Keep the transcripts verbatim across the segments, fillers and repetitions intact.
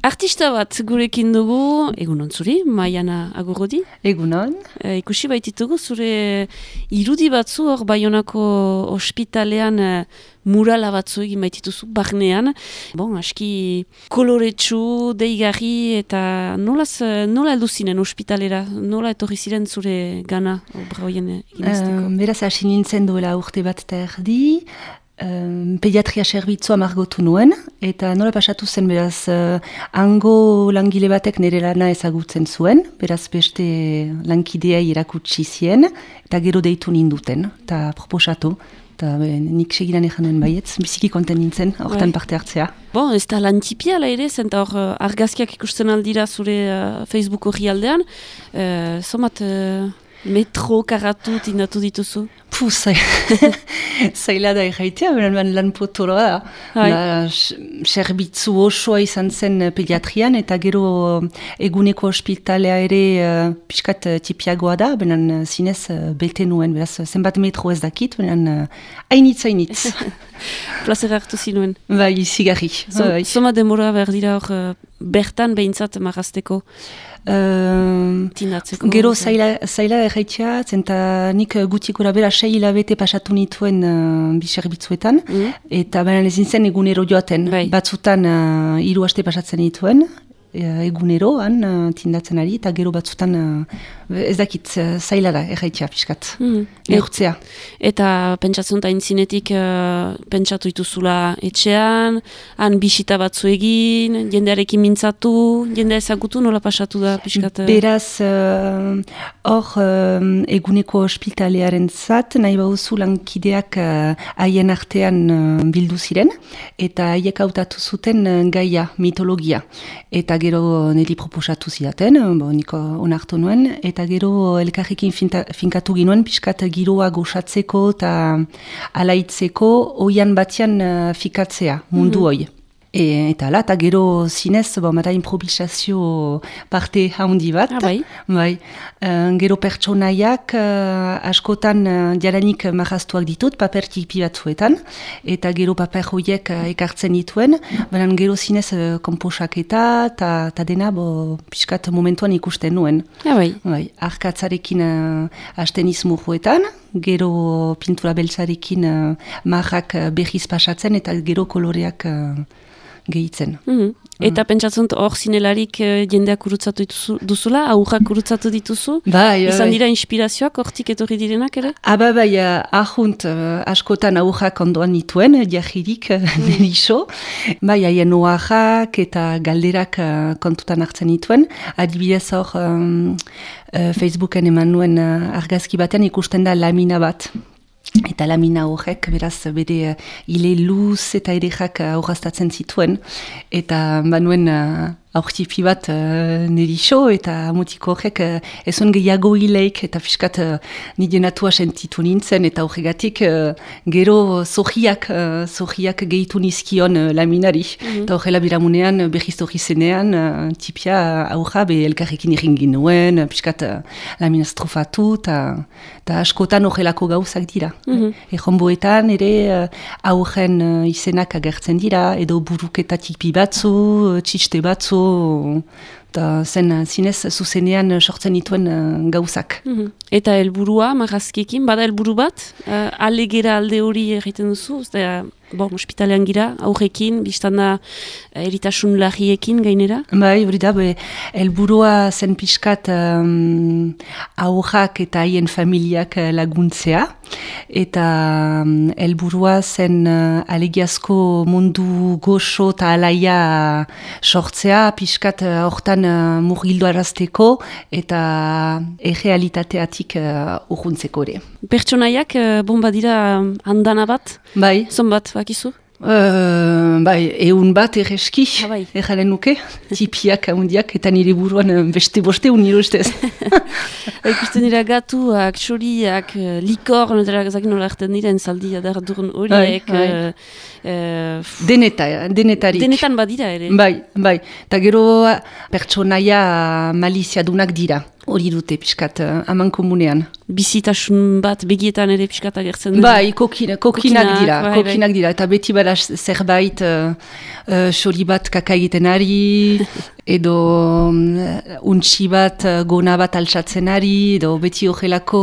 Artista bat gurekin dugu, egunon zuri, Maiana Agurrodi. Egunon. E, ikusi baititugu zure irudi batzu hor Baionako ospitalean e, murala batzu egin baitituzu barnean. Bon, aski koloretsu, deigarri eta nolaz, nola heldu zinen ospitalera? Nola etorri ziren zure gana obra hoien egin izteko? Uh, beraz, hasi nintzen duela urte bat eta erdi. Um, pediatria servitzua margotu nuen, eta nola pasatu zen, beraz, uh, hango langile batek nire lana ezagutzen zuen, beraz beste lankidea irakutsi zien, eta gero deitu ninduten, eta proposatu, eta nik segidan ezan nuen baietz, biziki konten nintzen, hortan parte hartzea. Bon, ez da lan tipia ala ere, zenta hor uh, argazkiak ikusten aldira zure uh, Facebook horri aldean, uh, somat uh, metro karatu tindatu dituzu? Puh, zaila da erraitea, benen lan potoroa da. da Serbitzu osoa izan zen pediatrian, eta gero eguneko ospitalea ere uh, pixkat tipiagoa da, benen zinez uh, belte nuen, beraz, zenbat metro ez dakit, benen uh, hainitz, hainitz. Plazera hartu zinuen. Bai, zigarri. Zoma demora behar dira hor uh, bertan behintzat marrazteko? Uh, Tinatzeko. Gero zaila, zaila erraitea, zenta nik gutik gura bera sei hilabete pasatu nituen uh, biserbitzuetan, mm. eta baina ezin zen egunero joaten. Bai. Batzutan uh, hiru aste pasatzen nituen, uh, eguneroan uh, tindatzen ari, eta gero batzutan uh, ez dakit uh, zaila da erraitea pixkat, mm. neurtzea. Et, eta pentsatzen da intzinetik uh, pentsatu ituzula etxean, han bisita batzu egin, jendearekin mintzatu, jendea ezagutu nola pasatu da pixkat? Beraz, hor uh, uh, eguneko ospitalearen zat, nahi bauzu lankideak haien uh, artean uh, bildu ziren, eta haiek hautatu zuten uh, gaia, mitologia. Eta gero niri proposatu zidaten, bo, niko onartu nuen, eta gero elkarrekin finta, finkatu ginuen, pixkat giroa goxatzeko eta alaitzeko oian batian uh, fikatzea, mundu mm-hmm. hoi. E, eta ala, eta gero zinez, bo, mara improvisazio parte handi bat. Ah, bai. Bai. Uh, gero pertsonaiak uh, askotan uh, jaranik marraztuak ditut, paper tipi batzuetan, eta gero paper horiek uh, ekartzen dituen, baina gero zinez uh, komposaketa, eta dena bo, pixkat momentuan ikusten nuen. Ah, bai. Bai. Arkatzarekin uh, hasten izmurruetan, gero pintura beltzarekin uh, marrak uh, berriz pasatzen, eta gero koloreak uh, gehitzen. Mm-hmm. Eta mm. pentsatzen hor zinelarik uh, jendeak urutzatu dituzu, duzula, aurrak urutzatu dituzu? Bai, izan bai. Dira inspirazioak hortik etorri direnak ere? Aba bai, uh, ahunt uh, askotan aurrak ondoan nituen, jahirik uh, mm. neriso. Bai, haien oaxak eta galderak uh, kontutan hartzen nituen. Adibidez hor um, uh, Facebooken eman nuen uh, argazki batean ikusten da lamina bat. Eta lamina horrek, beraz, bere uh, ile luz eta edekak uh, horraztatzen zituen. Eta banuen uh, aurtipi bat uh, neriso, eta mutiko horrek uh, ezon gehiago hileik, eta fiskat uh, nire natua sentitu nintzen, eta horregatik uh, gero zohiak, uh, zohiak gehitu nizkion uh, laminari. Mm-hmm. Eta horrela biramunean, berriz horri zenean, uh, tipia aurra be elkarrekin irringin nuen, uh, fiskat uh, lamina strofatu, eta askotan horrelako gauzak dira. Mm-hmm. Ejonboetan ere uh, aurren uh, izenak agertzen dira, edo buruketa tipi batzu, uh, txiste batzu, eta zen zinez zuzenean sortzen dituen uh, gauzak. Mm-hmm. Eta helburua marrazkiekin, bada helburu bat, uh, alegera alde hori egiten duzu, eta bon, ospitalean gira, aurrekin, biztanda eritasun larriekin gainera? Bai, hori da, helburua zen pixkat um, aurrak eta haien familiak laguntzea, eta um, helburua zen uh, alegiazko mundu goxo eta alaia sortzea, pixkat hortan uh, uh, murgildo arazteko eta errealitateatik uh, urruntzeko ere. Pertsonaiak, uh, bomba dira andana bat? Bai. Zon bat, bakizu? Uh, bai, eun bat erreski, ah, bai. erralen nuke, tipiak ahondiak, eta nire buruan beste boste un nire ustez. Ikusten dira gatuak, txoriak, likor, zakin nola erten diren zaldi adar duren horiek. Bai, bai. Uh, uh, Deneta, denetarik. Denetan badira ere. Bai, bai. Eta gero pertsonaia maliziadunak dira. hori dute pixkat uh, aman komunean. Bizitasun bat begietan ere pixkat agertzen dira. Bai, kokina, kokinak, kokinak dira, bai, kokinak bai. dira, eta beti bada zerbait uh, uh, xori bat kaka egiten ari, edo um, untxi bat, uh, gona bat altsatzen ari, edo beti horrelako...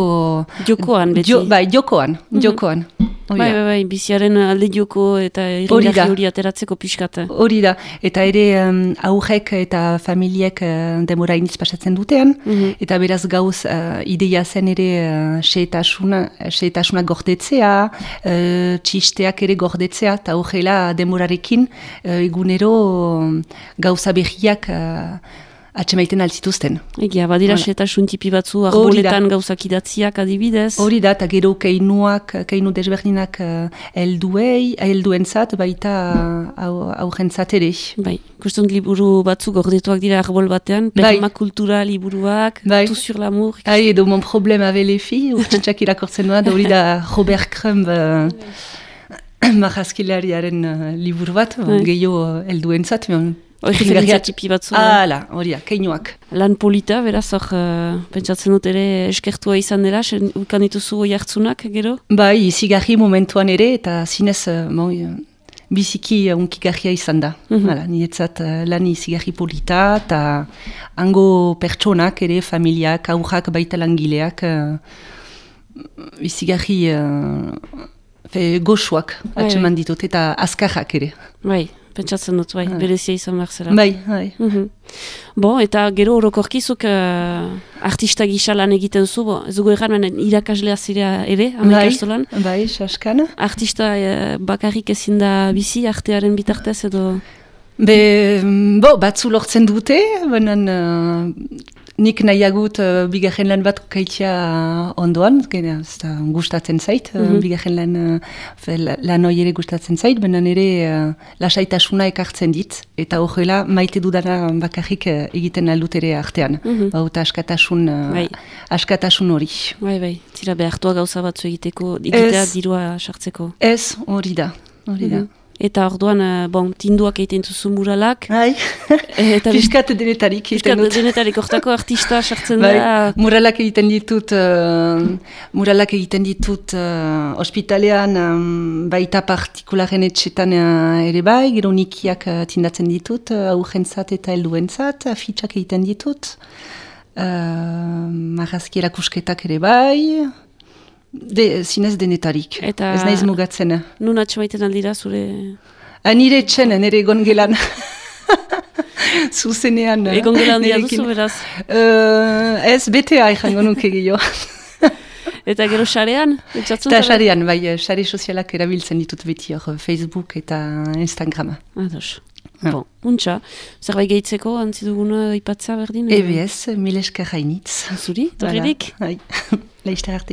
Jokoan, beti. Jo, bai, jokoan, mm-hmm. jokoan. Bai, bai, bai, biziaren alde joko eta irringarri hori ateratzeko pixkat. Hori da, eta ere um, aurrek eta familiek uh, demora iniz pasatzen dutean, mm-hmm. eta beraz gauz uh, ideia zen ere uh, seetasuna gordetzea, uh, txisteak ere gordetzea, eta horrela demorarekin uh, egunero um, gauza berriak uh, atxemaiten altzituzten. Egia, badira seetasun tipi batzu, arboletan gauzak idatziak adibidez. Hori da, eta gero keinuak, keinu desberdinak helduei, uh, helduentzat, baita aurrentzat ere. Bai, kuston liburu batzuk gordetuak dira arbol batean, permakultura liburuak, bai. Tout sur l'amour. Hai, edo mon problème avec les filles, urtsintxak irakortzen doa, da hori da Robert Crumb, uh, marrazkilariaren uh, liburu bat, bai. Gehiago helduentzat, referentzia tipi batzu. Hala, hori da, keinuak. Lan polita, beraz, hor, uh, pentsatzen dut ere eskertua izan dela, ukan dituzu oi hartzunak, gero? Bai, izigarri momentuan ere, eta zinez, uh, bon, biziki unkigarria izan da. Mm-hmm. Hala, niretzat uh, lan izigarri polita, eta hango pertsonak ere, familiak, aurrak, baita langileak, uh, izigarri uh, goxuak atseman ditut, eta azkarrak ere. Bai. Pentsatzen dut, bai, berezia izan behar zela. Bai, bai. Mm-hmm. Bo, eta gero orokorkizuk uh, artista gisa lan egiten zu, bo, ez dugu erran, irakaslea zirea ere, amaikastolan. Bai, bai, saskan. Artista uh, bakarrik ezin da bizi, artearen bitartez edo... Be, bo, batzu lortzen dute, banan... Uh, nik nahiagut uh, bigarren lan bat kaitia ondoan, gena, gustatzen zait, mm-hmm. uh, bigarren lan, uh, lan hori ere gustatzen zait, banan ere uh, lasaitasuna ekartzen dit, eta horrela maite dudana bakarrik uh, egiten aldut ere artean. Mm-hmm. Bauta askatasun, uh, bai. askatasun hori. Bai, bai, zira behartua gauza batzu egiteko, egitea dirua sartzeko. Ez, hori da, hori da. Mm-hmm. Eta orduan, bon, tinduak egiten duzu muralak. Hai, piskat denetarik egiten dut. Piskat denetarik, ortako artista sartzen da. Bai, muralak egiten ditut, uh, muralak egiten ditut uh, ospitalean, um, baita partikularen etxetan uh, ere bai, gero nikiak uh, tindatzen ditut, uh, aurrentzat eta helduentzat, afitxak egiten ditut, uh, marrazki erakusketak ere bai, De, zinez denetarik, eta ez naiz mugatzen. Nun atxemaiten aldira zure... Nire etxen, nire egon gelan. Zuzenean. Egon gelan dia duzu, beraz? Uh, ez, betea ikango nuke gehiago. Eta gero xarean? Eta xarean, bai, xare sozialak erabiltzen ditut beti hor, Facebook eta Instagrama. Ados. Ah. Bon, untxa. Zerbait gehitzeko, antziduguna ipatzea berdin? E B S, mil esker hainitz. Zuri, torririk? Bai, leizte arte.